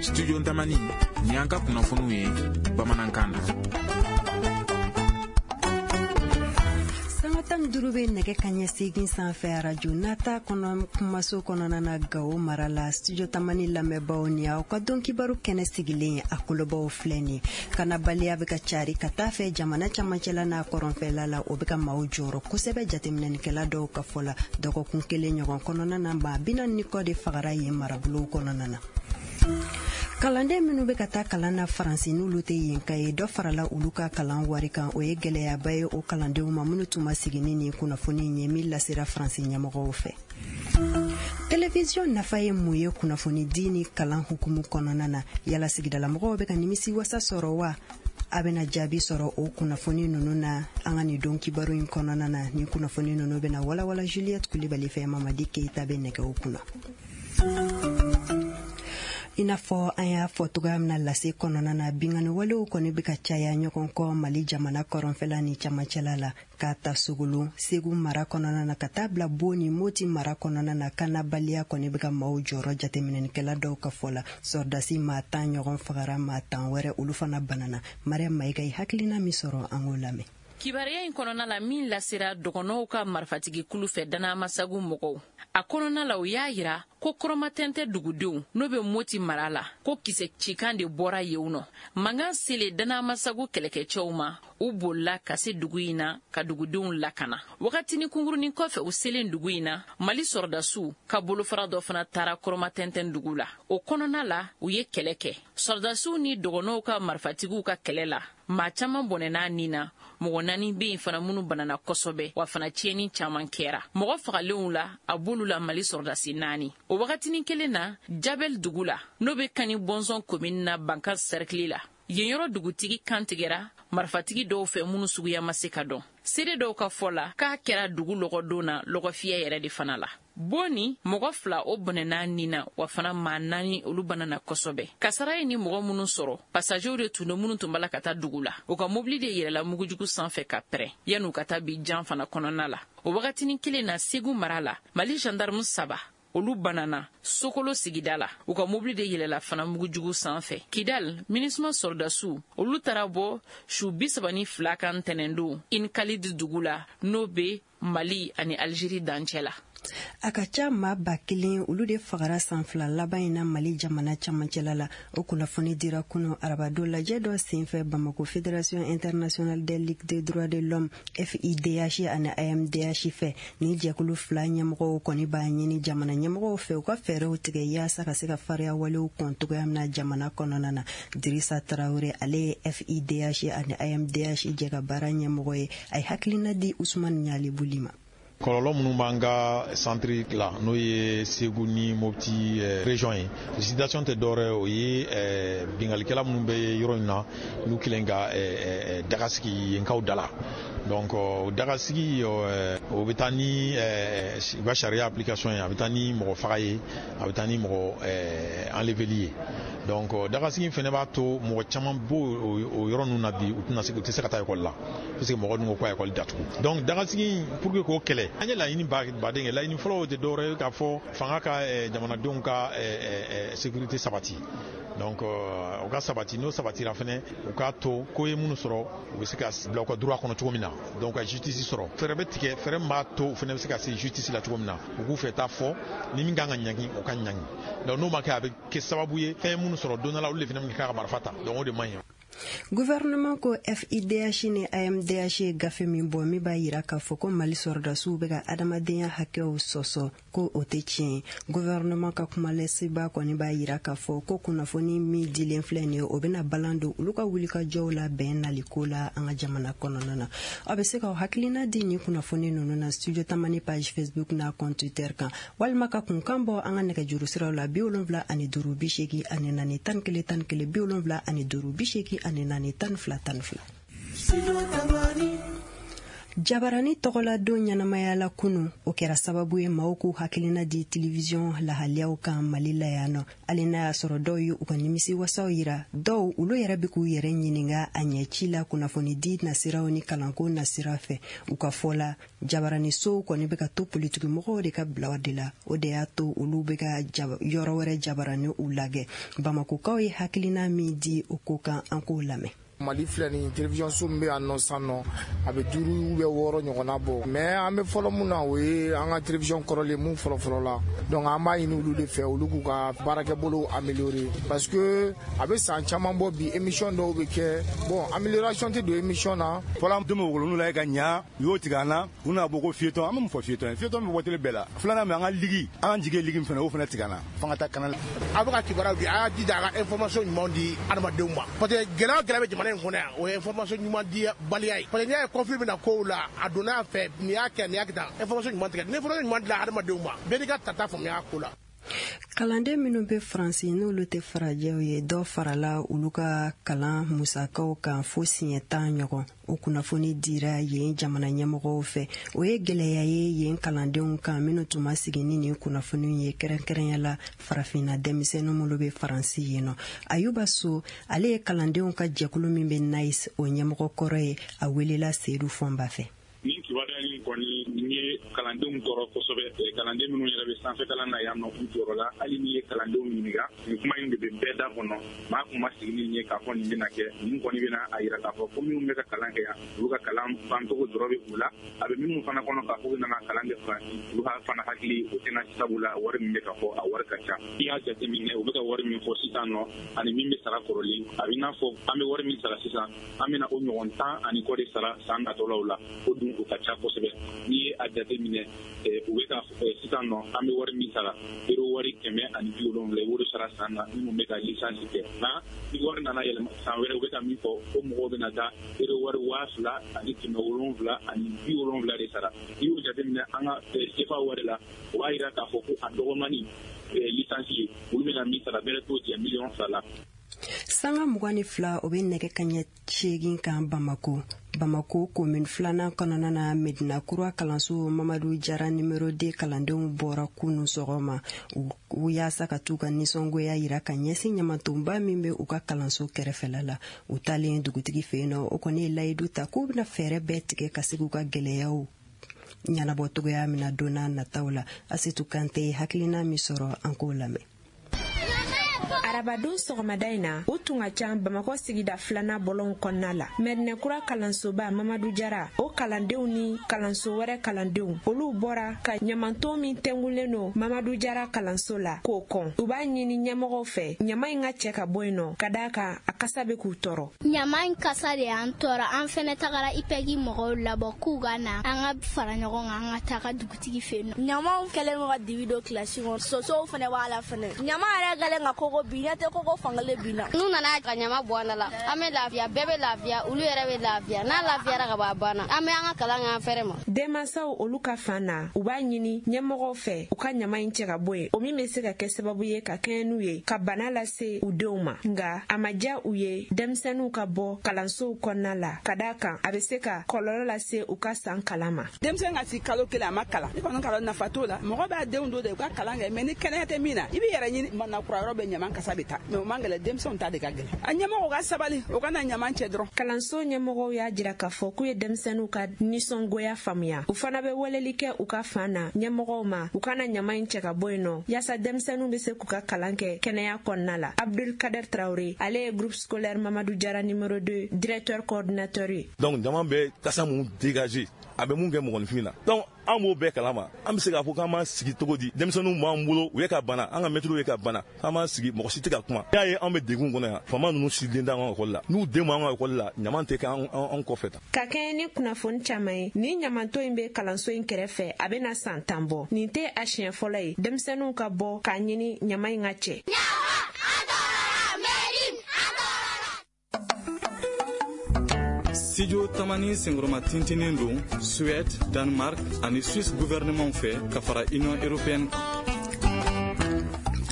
Studio Tamani, nin y'an ka kunnafoniw ye bamanankan na. Sanga 15 bɛ nɛgɛ kaɲɛ 8 sanfɛ, arajo nata kɔnɔ, kumaso kɔnɔna na, Gawo mara la. Studio Tamani lamɛnbaaw, ni aw ka don kibaru kɛnɛ sigilen ye, a kolobaw filɛ nin. Kanabaliya bɛ ka cari ka taa fɛ jamana camancɛla n'a kɔrɔnfɛla la. O bɛ ka maaw jɔrɔ kosɛbɛ. Jateminɛnikɛla dɔw ka fɔ la, dɔgɔkun kelen ɲɔgɔn kɔnɔna na, maa 40 ni kɔ de fagara yen marabolow kɔnɔna na. Kalanden minnu bɛ ka taa kalan na Faransi, n'olu tɛ yen ka ye, dɔ farala olu ka kalan wari kan. O ye gɛlɛyaba ye o kalandenw ma minnu tun ma sigi ni nin kunnafoni ye min lasera Faransi ɲɛmɔgɔw fɛ. Télévision nafa ye mun ye kunnafoni di ni kalan hukumu kɔnɔna na? Yala sigidalamɔgɔw bɛ ka nimisi wasa sɔrɔ wa? A bɛna jaabi sɔrɔ o kunnafoni ninnu na an ka nin don kibaru in kɔnɔna na. Ni kunnafoni ninnu bɛna walawala Juliette Kulibali fɛ. Mamadi Keyita bɛ nɛgɛw kunna. I n'a fɔ an y'a fɔ cogoya min na lase kɔnɔna na, bingani walew kɔni bɛ ka caya ɲɔgɔn kɔ Mali jamana kɔrɔnfɛla ni camancɛla la, k'a ta Sogolon, Segu mara kɔnɔna na, ka taa bila Bo ni Moti mara kɔnɔna na. Kanabaliya kɔni bɛ ka maaw jɔrɔ. Jateminɛnikɛla dɔw ka fɔ la, sɔrɔdasi maa 10 ɲɔgɔn fagara, maa 10 wɛrɛ, olu fana banana. Mariam Mayiga ye hakilina min sɔrɔ, an k'o lamɛn. Kibaruya in kɔnɔna la min lasera dɔgɔnɔw ka marifatigi kulu fɛ, Danamasagu mɔgɔw a kɔnɔna la, o y'a yira ko Kɔrɔmatɛntɛ dugudenw, n'o bɛ Moti mara la, ko kisɛ cikan de bɔra yen nɔ. Mankan selen Danamasagu kɛlɛkɛcɛw ma, u bolila ka se dugu in na ka dugudenw lakana. Wagatini kunkurunin kɔfɛ, u selen dugu in na, Mali sɔrɔdasiw ka bolofara dɔ fana taara Kɔrɔmatɛntɛn dugu la. O kɔnɔna la, u ye kɛlɛ kɛ. Sɔrɔdasiw ni dɔgɔnɔw ka marifatigiw ka kɛlɛ la, maa caman bɔnɛna nin na. Mɔgɔ naani bɛ yen fana minnu banana kosɛbɛ, wa fana tiɲɛni caman kɛra. Mɔgɔ fagalenw la, a b'olu la Mali sɔrɔdasi naani. O wagatinin kelen na, Jabɛl dugu la, n'o bɛ Kani Bɔnsɔn komini na, Banka sɛrikili la, yen yɔrɔ dugutigi kantigɛra marifatigi dɔw fɛ minnu suguya ma se ka dɔn. Seere dɔw ka fɔ la, k'a kɛra dugu lɔgɔdon na, lɔgɔfiyɛ yɛrɛ de fana la. Boni, mɔgɔ fila o bɔnɛna nin na, wa fana maa naani, olu banana kosɛbɛ. Kasara ye ni mɔgɔ minnu sɔrɔ, pasajew de tun don minnu tun b'a la ka taa dugu la. U ka mobili de yɛlɛla mugujugu sanfɛ ka pɛrɛn yan'u ka taa bi jan fana kɔnɔna la. O wagatinin kelen na, Segu mara la, Mali gendarme saba, olu banana Sokolo sigida la. U ka mobili de yɛlɛla fana mugujugu sanfɛ. Kidal, MINUSMA sɔrɔdasiw, olu taara bɔ su 32 kan ntɛnɛndon Inkalid dugu la, n'o bɛ Mali ani Algérie dancɛ la. A ka ca maa 1000, olu de fagara san 2 laban in na Mali jamana camancɛla la. O kunnafoni dira kunu arabado lajɛ dɔ senfɛ Bamako, Fédération internationale des ligues des droits de l'homme, FIDH, ani AMDH fɛ. Ni jɛkulu fila ɲɛmɔgɔw kɔni b'a ɲini jamana ɲɛmɔgɔw fɛ, u ka fɛɛrɛw tigɛ yaasa ka se ka fariya walew kɔn cogoya min na jamana kɔnɔna na. Dirisa Tarawele, ale ye FIDH ani AMDH jɛ ka baara ɲɛmɔgɔ ye. A ye hakilina di Usumani Ɲalibuli ma. Kɔlɔlɔ minnu b'an ka centre la, n'o ye Segu ni Mopti région ye, situation tɛ dɔwɛrɛ, o ye bingalikɛla minnu bɛ yɔrɔ in na, n'u kelen ka daga sigi yenkaw da la. Donc o daga sigi, o bɛ taa ni u ka sariya application ye, a bɛ taa ni mɔgɔ faga ye, a bɛ taa ni mɔgɔ enleveli ye. Donc dagasigi fɛnɛ b'a to mɔgɔ caman b'o o yɔrɔ ninnu na bi, u tɛna se, u tɛ se ka taa ekɔli la, parce que mɔgɔ ninnu ko ko ekɔli datugu. Donc dagasigi, pour que k'o kɛlɛ, an ye laɲini baden kɛ. Laɲini fɔlɔ, o tɛ dɔwɛrɛ ye k'a fɔ fanga ka jamanadenw ka sécurité sabati. Donc o ka sabati, n'o sabatira fɛnɛ, u k'a to ko ye minnu sɔrɔ, u bɛ se ka bila u ka droit kɔnɔ cogo min na. Donc ka justice sɔrɔ, fɛɛrɛ bɛ tigɛ, fɛɛrɛ min b'a to u fɛnɛ bɛ se ka se justice la cogo min na, u k'u fɛ taa fɔ ni min kan ka ɲangi, o ka ɲangi. Donc n'o ma kɛ, a bɛ kɛ sababu ye fɛn minnu sɔrɔ don dɔ la, olu de fɛnɛ bɛ k'a ka marifa ta. Donc o de man ɲi. Gouvernement ko FIDH ni AMDH ye gafe min bɔ min b'a yira k'a fɔ ko Mali sɔrɔdasiw bɛ ka adamadenya hakɛw sɔsɔ, ko o tɛ tiɲɛ ye. Gouvernement ka kumalɛseba kɔni b'a yira k'a fɔ ko kunnafoni min dilen filɛ nin ye, o bɛna balan don olu ka wulikajɔw la bɛn naliko la an ka jamana kɔnɔna na. Aw bɛ se k'aw hakilina di nin kunnafoni ninnu na Studio Tamani page Facebook n'a compte Twitter kan, walima ka kunkan bɔ an ka nɛgɛjuru siraw la: 75 84 11 11, 75 84 12 12. Jabarani tɔgɔladon ɲɛnamaya la kunu, o kɛra sababu ye maaw k'u hakilina di telewisɔn lahaliyaw kan Mali la yan nɔ. Hali n'a y'a sɔrɔ dɔw ye u ka nimisi wasaw yira, dɔw olu yɛrɛ bɛ k'u yɛrɛ ɲininka a ɲɛci la kunnafoni di nasiraw ni kalanko nasira fɛ. U ka fɔ la, jabaranisow kɔni bɛ ka to politikimɔgɔw de ka bilaw de la, o de y'a to olu bɛ ka yɔrɔ wɛrɛ jabarani u lagɛ. Bamakokaw ye hakilina min di o ko kan, an k'o lamɛn. Mali filɛ nin télévision so min bɛ yan nɔ sisan nɔ, a bɛ 5 ou bien 6 ɲɔgɔnna bɔ, mais an bɛ fɔlɔ mun na, o ye an ka télévision kɔrɔlen mun fɔlɔ-fɔlɔ la. Donc an b'a ɲini olu de fɛ, olu k'u ka baarakɛbolo améliorer, parce que a bɛ san caman bɔ bi, émission dɔw bɛ kɛ, bon, amélioration tɛ don émission na. Fɔlɔ an bɛ wolonu la ka ɲa, u y'o tigɛ an na, u nana bɔ ko fiyetɔn, an bɛ mun fɔ fiyetɔn ye, fiyetɔn bɛ bɔ télé bɛɛ la. Filanan min, an ka ligue, an jigi ye ligue min fana, o fana tigɛ an na, f'an ka taa canal. A bɛ ka kibaruyaw di, a y'a jija a ka information ɲuman di adamadenw ma, parce que gɛlɛya o gɛlɛya bɛ jamana in kɔnɔ yan, o ye information ɲuman di baliya ye, parce que n'i y'a ye conflit bɛna kow la, a donna a fɛ, nin y'a kɛ, nin y'a kɛ tan, information ɲuman tigɛ, ni information ɲuman dila adamadenw ma, bɛɛ n'i ka tata faamuya ko la. Kalanden minnu bɛ Faransi n'olu tɛ farajɛw ye, dɔ farala olu ka kalan musakaw kan fo siɲɛ 10 ɲɔgɔn. O kunnafoni dira yen jamana ɲɛmɔgɔw fɛ. O ye gɛlɛya ye yen kalandenw kan minnu tun ma sigi ni nin kunnafoni ye, kɛrɛnkɛrɛnya la farafinna denmisɛnnin minnu bɛ Faransi yen nɔ. Ayuba So, ale ye kalandenw ka jɛkulu min bɛ NAIS o ɲɛmɔgɔ kɔrɔ ye, a welela Seydou Fɔnba fɛ. Nin kibaruya in kɔni nin ye kalandenw tɔɔrɔ kosɛbɛ. Kalanden minnu yɛrɛ bɛ sanfɛ kalan na yan nɔ, u jɔyɔrɔ la. Hali n'i ye kalandenw ɲininka, nin kuma in de bɛ bɛɛ da kɔnɔ. Maa kun ma sigi ni nin ye k'a fɔ nin bɛna kɛ. Nin kɔni bɛna a yira k'a fɔ ko minnu bɛ ka kalan kɛ yan, olu ka kalan bancogo dɔrɔn bɛ u la. A bɛ minnu fana kɔnɔ k'a fɔ k'u nana kalan kɛ Faransi, olu ka fana hakili o tɛna sabu la wari min bɛ ka fɔ, a wari ka ca. I y'a jateminɛ, u bɛ ka wari min fɔ sisan nɔ ani min bɛ sara kɔrɔlen, a bɛ n'a fɔ an bɛ wari min sara sisan, an bɛna o ɲɔgɔn 10 ani kɔ de sara san natɔlaw la. O dun o ka ca kosɛbɛ. N'i ye a jateminɛ, u bɛ ka sisan nɔ an bɛ wari min sara, euro wari 170, i b'o de sara san na minnu bɛ ka licence kɛ. Nka ni wari nana yɛlɛma san wɛrɛ, u bɛ ka min fɔ ko mɔgɔw bɛna taa euro wari 2770 de sara. N'i y'o jateminɛ an ka CFA wari la, o b'a yira k'a fɔ ko a dɔgɔmani licence ye, olu bɛna min sara bɛrɛ t'o jɛ 2 miliyɔn la. Sanga 22, o bɛ nɛgɛ kaɲɛ 8 kan Bamako. Bamako commune 2nan kɔnɔna na, Medina Kura kalanso Mamadu Jara numéro 2 kalandenw bɔra kunu sɔgɔma u yaasa ka t'u ka nisɔngoya yira ka ɲɛsin ɲamatonba min bɛ u ka kalanso kɛrɛfɛla la. U taalen dugutigi fɛ yen nɔ, o kɔni ye layidu ta k'u bɛna fɛɛrɛ bɛɛ tigɛ ka se k'u ka gɛlɛyaw ɲɛnabɔ cogoya min na don n'a nataw la. Asetu Kante ye hakilina min sɔrɔ, an k'o lamɛn. Arabadon sɔgɔmada in na, o tun ka ca Bamakɔ sigida 2nan bɔlɔnw kɔnɔna la. Mɛdinɛkura kalansoba Mamadu Jara, o kalandenw ni kalanso wɛrɛ kalandenw, olu bɔra ka ɲamanton min tɛngulen don Mamadu Jara kalanso la k'o kɔn. U b'a ɲini ɲɛmɔgɔw fɛ ɲama in ka cɛ ka bɔ yen nɔ, ka d'a kan a kasa bɛ k'u tɔɔrɔ. Ɲama in kasa de y'an tɔɔrɔ. An fɛnɛ tagara IPEC mɔgɔw labɔ k'u ka na an ka fara ɲɔgɔn kan, an ka taga dugutigi fɛ yen nɔ. Ɲamaw kɛlen don ka dibi don kilasi kɔnɔ, sosow fɛnɛ b'a la fɛnɛ. Ɲama yɛrɛ kɛlen ka koko bin, ɲɛ tɛ koko fankelen bin na. N'u nana ka ɲama bɔ an da la, an bɛ lafiya, bɛɛ bɛ lafiya, olu yɛrɛ bɛ lafiya. N'a lafiyara ka ban, a banna. An bɛ an ka kalan kɛ an fɛrɛ ma. Denmansaw olu ka fan na, u b'a ɲini ɲɛmɔgɔw fɛ u ka ɲama in cɛ ka bɔ yen, o min bɛ se ka kɛ sababu ye ka kɛɲɛ n'u ye ka bana lase u denw ma. Nka a ma diya u ye denmisɛnninw ka bɔ kalansow kɔnɔna la, ka d'a kan a bɛ se ka kɔlɔlɔ lase u ka san kalan ma. Denmisɛn ka si kalo 1 a ma kalan, ne kɔni kalan nafa t'o la. Mɔgɔ b'a denw don de u ka kalan kɛ, mais ni kɛnɛya tɛ min na, i b'i yɛrɛ ɲini. Mana kura yɔrɔ bɛ ɲama kasa bɛ taa, mais o man gɛlɛn, denmisɛnw ta de ka gɛlɛn. A ɲɛmɔgɔw ka sabali, o kana ɲama cɛ dɔrɔn. Kalanso ɲɛmɔgɔw y'a jira k'a fɔ k'u ye denmisɛnninw ka nisɔngoya faamuya. U fana bɛ weleli kɛ u ka fan na ɲɛmɔgɔw ma, u kana ɲama in cɛ ka bɔ yen nɔ, yaasa denmisɛnninw bɛ se k'u ka kalan kɛ kɛnɛya kɔnɔna la. Abdul Kader Traoré, ale ye groupe scolaire Mamadou Jara numéro 2 directeur coordinateur ye. Donc ɲama bɛ kasa mun dégager, a bɛ mun kɛ mɔgɔninfin na. Donc an b'o bɛɛ kalama, an bɛ se k'a fɔ k'an b'an sigi cogo di? Denmisɛnninw b'an bolo, u ye ka bana, an ka mɛtiriw ye ka bana, k'an b'an sigi, mɔgɔ si tɛ ka kuma. I y'a ye an bɛ degun kɔnɔ yan, faama ninnu si den t'an ka ekɔli la, n'u den b'an ka ekɔli la, ɲaman tɛ kɛ an kɔfɛ tan. Ka kɛɲɛ ni kunnafoni caman ye, nin ɲamanton in bɛ kalanso in kɛrɛfɛ, a bɛna san 10 bɔ. Nin tɛ a siɲɛ fɔlɔ ye denmisɛnninw ka bɔ k'a ɲini ɲama in ka cɛ. Studio Tamani senkɔrɔma tintinen don Suède, Danemark ani Suisse gouvernement fɛ ka fara Union européenne kan.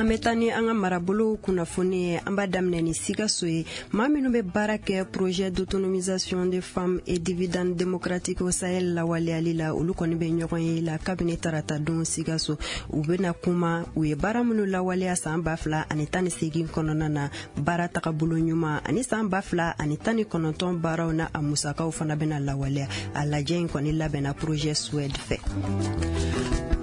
An bɛ taa ni an ka marabolow kunnafoni ye. An b'a daminɛ ni Sikaso ye. Maa minnu bɛ baara kɛ projet d'autonomisation des femmes et dividende démocratique au Sahel lawaleyali la, olu kɔni bɛ ɲɔgɔn ye la kabini tarata don Sikaso. U bɛna kuma u ye baara minnu lawaleya san 2018 kɔnɔna na, baara tagabolo ɲuman, ani san 2019 baaraw na, a musakaw fana bɛna lawaleya. A lajɛ in kɔni labɛnna projet SUED fɛ.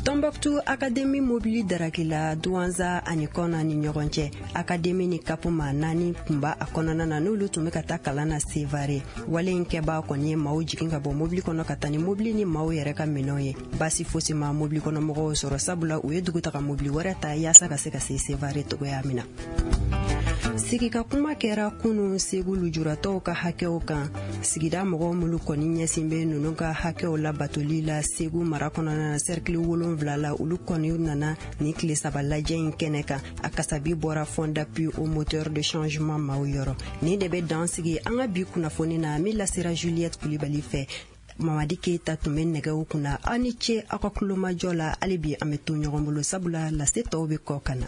Tombouctou Académie mobili darakila Douentza ani Kɔna ni ɲɔgɔn cɛ. Académie ni kapu maa naani tun b'a a kɔnɔna na, n'olu tun bɛ ka taa kalan na Sevare. Wale in kɛbaa kɔni ye maaw jigin ka bɔ mobili kɔnɔ ka taa ni mobili ni maaw yɛrɛ ka minɛnw ye. Baasi fosi ma mobili kɔnɔ mɔgɔw sɔrɔ, sabula u ye dugutaga mobili wɛrɛ ta yaasa ka se ka se Sevare togoya min na. Sigika kuma kɛra kunun Segu lujuratɔw ka hakɛw kan. Sigida mɔgɔw minnu kɔni ɲɛsin bɛ ninnu ka hakɛw labatoli la Segu mara kɔnɔna na, sɛrikili 7 la, olu kɔni nana nin tile 3 lajɛ in kɛnɛ kan. A kasabi bɔra Fonds d'appui au moteur de changement maaw yɔrɔ. Nin de bɛ dan sigi an ka bi kunnafoni na min lasera Juliette Kulibali fɛ. Mamadi Keyita tun bɛ nɛgɛw kunna. Aw ni ce aw ka kulomajɔ la. Hali bi an bɛ to ɲɔgɔn bolo, sabula lase tɔw bɛ kɔ ka na.